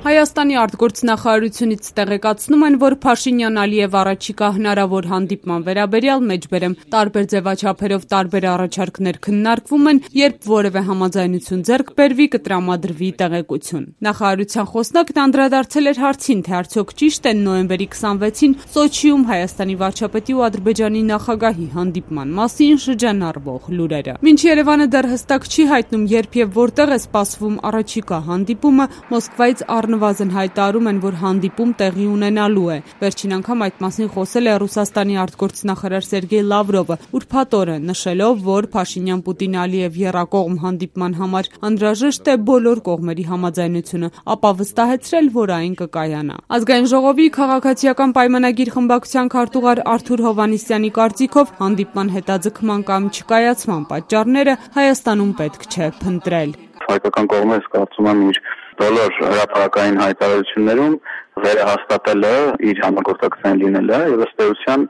Հայաստանի արտգործնախարարությունից տեղեկացնում են, որ Փաշինյան-Ալիև առաջիկա հնարավոր հանդիպման վերաբերյալ մեջբերեմ տարբեր ձևաչափերով տարբեր առաջարկներ քննարկվում են, երբ որևէ համաձայնություն ձեռք բերվի, կտրամադրվի տեղեկություն։ Նախարարության խոսնակն անդրադարձել էր հարցին, թե արդյոք ճիշտ են նոյեմբերի 26-ին Սոչիում Հայաստանի վարչապետի ու Ադրբեջանի նախագահի հանդիպման մասին շրջանառվող լուրերը։ Մինչ Երևանը դեռ հստակ չի հայտնում, երբ եւ որտեղ է սպասվում առաջիկա հանդիպումը, Մոսկվայից առնվազն հայտարարում են, որ հանդիպում տեղի ունենալու է։ Վերջին անգամ այդ մասին խոսել է Ռուսաստանի արտգործնախարար Սերգեյ Լավրովը, ուրբաթօրը նշելով, որ Փաշինյան-Պուտին-Ալիև եռակողմ հանդիպման համար անհրաժեշտ է բոլոր կողմերի համաձայնությունը, ապա վստահեցրել, որ այն կկայանա։ Ազգային ժողովի քաղաքացիական պայմանագիր խմբակցության քարտուղար Արթուր Հովհաննիսյանի կարծիքով հանդիպման հետաձգման կամ չկայացման պատճառները Հայաստանում պետք չէ փնտրել։ Հայկական կողմը կարծում եմ իր բոլոր հրապարակային հայտարարություններում վերահաստատել է իր համագործակցության լինելը եւ ըստ էության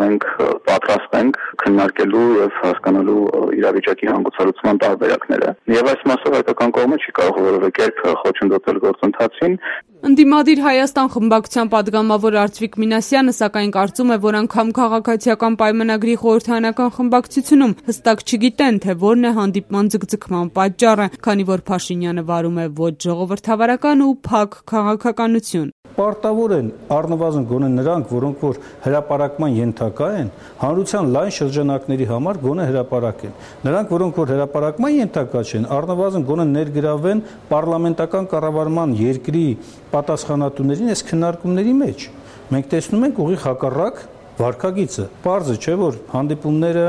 մենք պատրաստ ենք քննարկելու եւ հասկանալու իրավիճակի հանգուցալուծման տարբերակները եւ այս մասով հայկական կողմը չի կարող որևէ կերպ խոչընդոտել գործընթացին։ Ընդդիմադիր Հայաստան խմբակցության падգամավոր Արծվիկ Մինասյանը սակայն կարծում է, որ անգամ քաղաքացիական պայմանագրի խորհրդարանական խմբակցությունում հստակ չգիտեն, թե որն է հանդիպման ձգձգման պատճառը, քանի որ Փաշինյանը վարում է ոչ ժողովրդավարական ու փակ քաղաքականություն։ Պարտավոր են առնվազն գոնե նրանք, որոնք որ հրապարակման ենթակա են, հանրության լայն շրջանակների համար գոնե հրապարակեն։ Նրանք, որոնք որ հրապարակման ենթակա չեն, առնվազն գոնե ներգրավեն պարլամենտական կառավարման երկրի պատասխանատուներին այս քննարկումների մեջ։ Մենք տեսնում ենք ուղիղ հակառակ վարքագիծը։ Պարզ է, չէ՞ որ հանդիպումները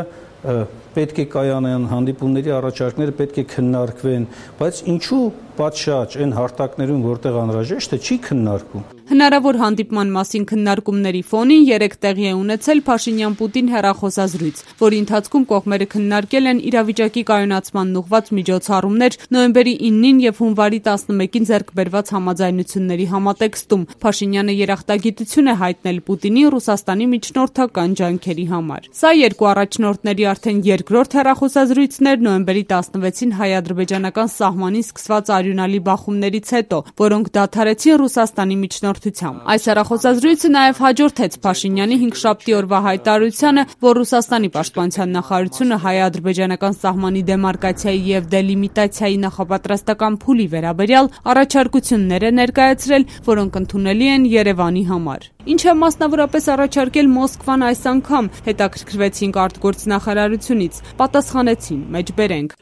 պետք է կայանան, հանդիպումների առաջարկները պետք է քննարկվեն, բայց ինչու պատշաճ այն հարթակներում, որտեղ անհրաժեշտ է, չի քննարկվում։ Հնարավոր հանդիպման մասին քննարկումների ֆոնին երեկ տեղի է ունեցել Փաշինյան-Պուտին հեռախոսազրույց, որի ընթացքում կողմերը քննարկել են իրավիճակի կայունացման ուղղված միջոցառումներ նոյեմբերի 9-ին եւ հունվարի 11-ին ձեռք բերված համաձայնությունների համատեքստում։ Փաշինյանը երախտագիտություն է հայտնել Պուտինի Ռուսաստանի միջնորդական ջանքերի համար։ Սա երկու առաջնորդների արդեն երկրորդ հեռախոսազրույցն էր նոյեմբերի 16-ին հայ-ադրբեջանական սահմանին սկսված արյունալի բախումներից հետո, որոնք դադարեցին Ռուսաստանի միջնորդությամբ։ Այս հեռախոսազրույցը նաև հաջորդեց Փաշինյանի 5-շաբթի օրվա հայտարարությանը, որ Ռուսաստանի պաշտպանության նախարարությունը հայ-ադրբեջանական սահմանի դեմարկացիայի եւ դելիմիտացիայի նախապատրաստական փուլի վերաբերյալ առաջարկություններ է ներկայացրել, որոնք ընդունելի են Երևանի համար։ Ինչ է մասնավորապես առաջարկել Մոսկվան այս անգամ, հետաքրքրվեցինք արտգործնախարարությունից, պատասխանեցին, մեջբերենք։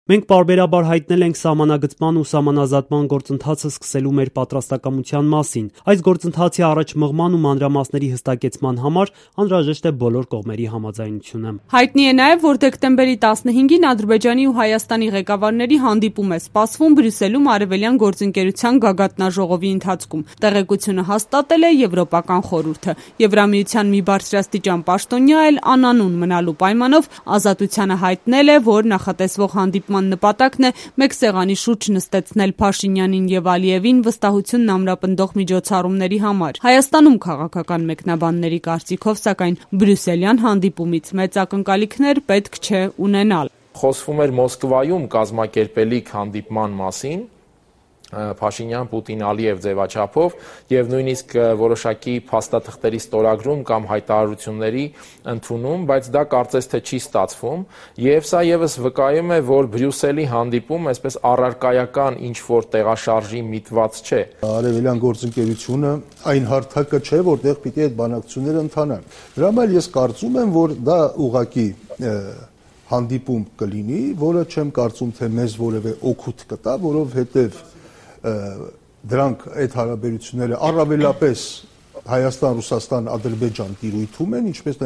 Մենք պարբերաբար հայտնել ենք սահմանագծման ու սահմանազատման գործընթացը սկսելու մեր պատրաստակամության մասին։ Այս գործընթացի առաջ մղման ու մանրամասների հստակեցման համար անհրաժեշտ է բոլոր կողմերի համաձայնությունը։ Հայտնի է նաև, որ դեկտեմբերի 15-ին Ադրբեջանի ու Հայաստանի ղեկավարների հանդիպում է սպասվում Բրյուսելում Արևելյան գործընկերության գագաթնաժողովի ընթացքում։ Տեղեկությունը հաստատել է Եվրոպական խորհուրդը։ Եվրամիության մի բարձրաստիճան պաշտոնյա էլ անանուն մնալու պայմանով Ազատությանը հայտնել է, որ նախատեսվող հանդիպման նպատակն է մեկ սեղանի շուրջ նստեցնել Փաշինյանին եւ Ալիևին վստահությունն ամրապնդող միջոցառումների համար։ Հայաստանում քաղաքական մեկնաբանների կարծիքով, սակայն բրյուսելյան հանդիպումից մեծ ակնկալիքներ պետք չէ ունենալ։ Խոսվում էր Մոսկվայում կազմակերպելիք հանդիպման մասին, Փաշինյան-Պուտին-Ալիև ձևաչափով եւ նույնիսկ որոշակի փաստաթղթերի ստորագրում կամ հայտարարությունների ընդունում, բայց դա կարծես թե չի ստացվում եւ սա եւս վկայում է, որ Բրյուսելի հանդիպում այսպես առարկայական ինչ-որ տեղաշարժի միտված չէ։ Արևելյան գործընկերությունը այն հարթակը չէ, որտեղ պիտի այդ բանակցությունները ընթանան։ Դրա համար ես կարծում եմ, որ դա ուղղակի հանդիպում կլինի, որը չեմ կարծում, թե մեզ որևէ օգուտ կտա, որովհետեւ դրանք այդ հարաբերությունները առավելապես Հայաստան-Ռուսաստան-Ադրբեջան տիրույթում են, ինչպես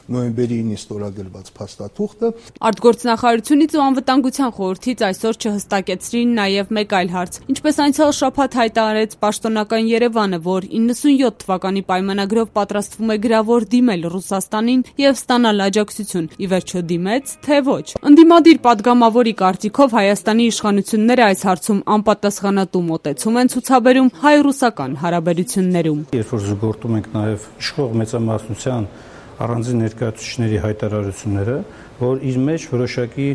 նոյեմբերի 9-ին ստորագրված փաստաթուղթը։ Արտգործնախարարությունից ու անվտանգության խորհրդից այսօր չհստակեցրին նաև մեկ այլ հարց։ Ինչպես անցյալ շաբաթ հայտարարեց պաշտոնական Երևանը, որ 97 թվականի պայմանագրով պատրաստվում է գրավոր դիմել Ռուսաստանին եւ ստանալ աջակցություն։ Ի վերջո դիմեց, թե ոչ։ Ընդդիմադիր падգամավորի կարծիքով Հայաստանի իշխանությունները այս հարցում անպատասխանատու մոտեցում են ցուցաբերում հայ-ռուսական հարաբերություններում։ Երբ որ զուգորդում ենք նաև իշխող մեծամասնության առանձին ներկայացուցիչների հայտարարությունները, որ իր մեջ որոշակի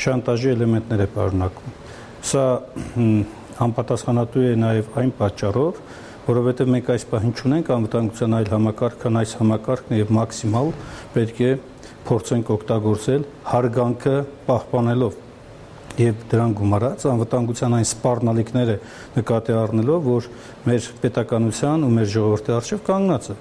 շանտաժի էլեմենտներ է պարունակում։ Սա անպատասխանատու է նաև այն պատճառով, որովհետև մենք այս պահին չունենք անվտանգության այլ համակարգ, քան այս համակարգն է եւ մաքսիմալ պետք է փորձենք օգտագործել հարգանքը պահպանելով եւ դրան գումարած անվտանգության այն սպառնալիքները նկատի առնելով, որ մեր պետականության ու մեր ժողովրդի առջև կանգնած է։